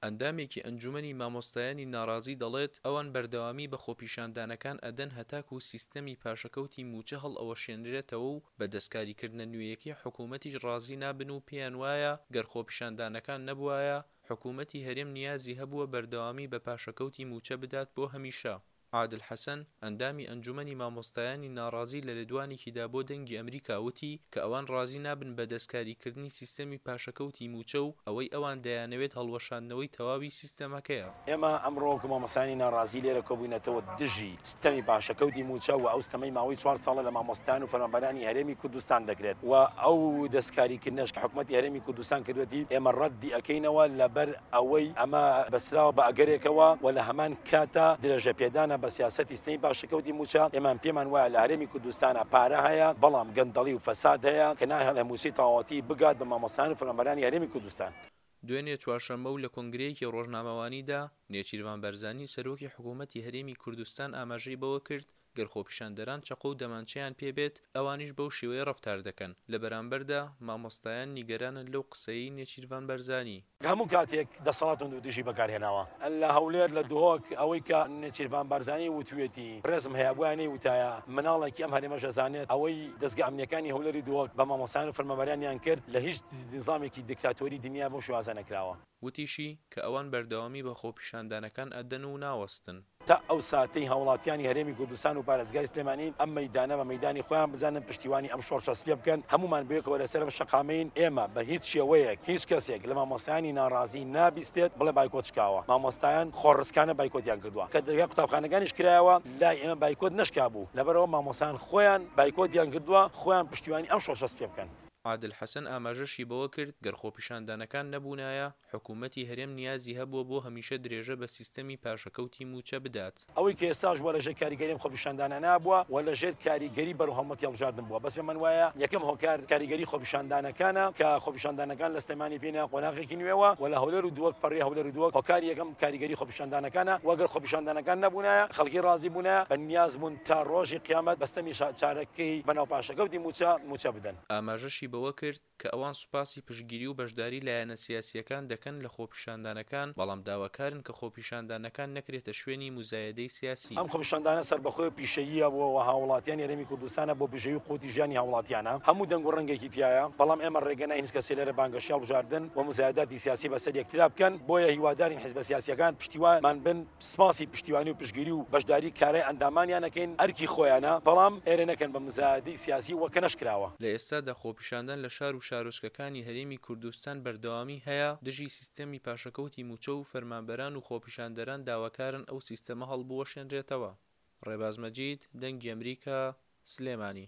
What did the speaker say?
ئەندامێکی ئەنجومەنی مامۆستایانی ناڕازی دەڵێت، ئەوان بەردەوامی بە خۆپیشاندانەکان ئەدەن هەتاکو سیستەمی پاشەکەوتی مووچە هەڵئەوەشێنرێتەوە و بە دەستکاریکردنە نوێیەکەی حکومەتیش ڕازی نابن و پێیان وایە گەر خۆپیشاندانەکان نەبوایە حکومەتی هەرێم نیازی هەبووە بەردەوامی بە پاشەکەوتی مووچە بدات بۆ هەمیشە. عادل حەسەن، ئەندامی ئەنجومەنی مامۆستایانی ناڕازی لە لێدوانێکیدا بۆ دەنگی ئەمریکا وتی کە ئەوان ڕازی نابن بە دەستکاریکردنی سیستەمی پاشەکەوتی مووچە و ئەوەی ئەوان دەیانەوێت هەڵوەشاندنەوەی تەواوی سیستەمەکەیە. ئێمە ئەمڕۆ وەکو مامۆستایانی ناڕازی لێرە کۆبووینەتەوە دژی ستەمی پاشەکەوتی مووچە و ئەو ستەمەی ماوەی چوار ساڵە لە مامۆستایان و فەرمانبەرانی هەرێمی کوردستان دەکرێت و ئەو دەستکاریکردنەش کە حکومەتی هەرێمی کوردستان کردووەتی ئێمە ڕەتی ئەکەینەوە لەبەر ئەوەی ئەمە بەستراوە بە ئەگەرێکەوە و لە هەمان کاتا درێژەپێدانە بە سیاسەتی ستەمی پاشەکەوتی مووچە، ئێمە پێمان وایە لە هەرێمی کوردستانا پارە هەیە، بەڵام گەندەڵی و فەساد هەیە کە ناهێڵێ مووچەی تەواوەتی بگات بە مامۆستایان و فەرمانبەرانی هەرێمی کوردستان. دوێنێ چوارشەممە و لە کۆنگرەیەکی ڕۆژنامەوانیدا، نێچیرڤان بارزانی سەرۆکی حکوومەتی هەرێمی کوردستان ئاماژەی بەوە کرد، گەر خۆپیشاندەران چەقۆ و دەمانچەیان پێ بێت، ئەوانیش بەو شێوەیە ڕەفتار دەکەن. لە بەرامبەردا، مامۆستایان نیگەرانن لەو قسەیەی نێچیرڤان بارزانی. هەموو کاتێک دەسەڵات توندوتیژی بەکارهێناوە لە هەولێر، لە دهۆک، ئەوەی کە نێچیرڤان بارزانی وتویەتی ڕێزم هەیە، بوایە نەیوتایە، مناڵێکی ئەم هەرێمەش ئەزانێت ئەوەی دەزگا ئەمنیەکانی هەولێر و دهۆک بە مامۆستایان و فەرمانبەرانیان کرد لە هیچ نیزامێکی دیکتاتۆری دنیا بەو شێوازە نەکراوە. وتیشی، کە ئەوان بەردەوامی بە خۆپیشاندانەکان ئەدەن و ناوەستن. تا ئەو ساتەی هاوڵاتیانی هەرێمی کوردستان و پارێزگای سلێمانی ئەم مەیدانە بە مەیدانی خۆیان بزانن، پشتیوانی ئەم شۆڕشە سپیە بکەن، هەموومان بەیەکەوە لەسەر ئەم شەقامەین، ئێمە بە هیچ شێوەیەک هیچ کەسێک لە مامۆستایانی ناڕازی نابیستێت بڵێ بایکۆت شکاوە، مامۆستایان خۆڕسکانە بایکۆتیان کردووە، کە دەرگای قوتابخانەکانیش کرایەوە لای ئێمە بایکۆت نەشکابوو، لەبەرئەوە مامۆستایان خۆیان بایکۆتیان کردووە، خۆیان پشتیوانی ئەم شۆڕشە سپیە بکەن. عادل حەسەن ئاماژەشی بەوە کرد، گەر خۆپیشاندانەکان نەبوونایە، حکوومەتی هەرێم نیازی هەبووە بۆ هەمیشە درێژە بە سیستەمی پاشەکەوتی مووچە بدات. ئەوەی کە ئێستاش بووە لەژێر کاریگەری ئەم خۆپیشاندانانە بووە و لەژێر کاریگەری بەرەو هەڵمەتی هەڵبژاردن بووە، بەس پێمان وایە یەکەم هۆکار کاریگەری خۆپیشاندانەکانە کە خۆپیشاندانەکان لە سلێمانی پێینە قۆناغێکی نوێوە و لە هەولێر و دهۆک پەڕیە هەولێر و دهۆک هۆکاری یەکەم کاریگەری خۆپیشاندانەکانە و گەر خۆپیشاندانەکان نەبوونایە خەڵکی ڕازی بوونایە بە نیاز بوون تا ڕۆژی قیامەت بە ستەمی چارەکەی بەناو پاشەکەوتی مووچە مووچە بدەن. ئاماژەشی بەوە کرد، کە ئەوان سوپاسی پشتگیری و بەشداری لایەنە سیاسییەکان دەکەن لە خۆپیشاندانەکان، بەڵام داواکارن کە خۆپیشاندانەکان نەکرێتە شوێنی موزایەدەی سیاسی. ئەم خۆپیشاندانە سەربەخۆی و پیشەییە بۆ هاووڵاتیانی هەرێمی کوردستانە، بۆ بژێوی قوتی ژیانی هاووڵاتیانە، هەموو دەنگ و ڕەنگێکی تیایە، بەڵام ئێمە ڕێگە ناین هیچ کەسێ لێرە بانگەشەی هەڵبژاردن و موزایەداتی سیاسی بەسەر یەکترا بکەن، بۆیە هیوادارین حیزبە سیاسییەکان پشتیوانمان بن. سپاسی پشتیوانی و پشتگیری و بەشداری کارای ئەندامانیان ئەکەین، ئەرکی خۆیانە، بەڵام ئێرە نەکەن بە مزایەدەی سیاسی وەک کە نەشکراوە. لە ئێستادا خۆپیشاندان لە شار و شارۆچکەکانی هەرێمی کوردستان بەردەوامی هەیە دژی سیستەمی پاشەکەوتی مووچە و فەرمانبەران و خۆپیشاندەران داواکارن ئەو سیستەمە هەڵبوەشێنرێتەوە. ڕێباز مەجید، دەنگی ئەمریکا، سلێمانی.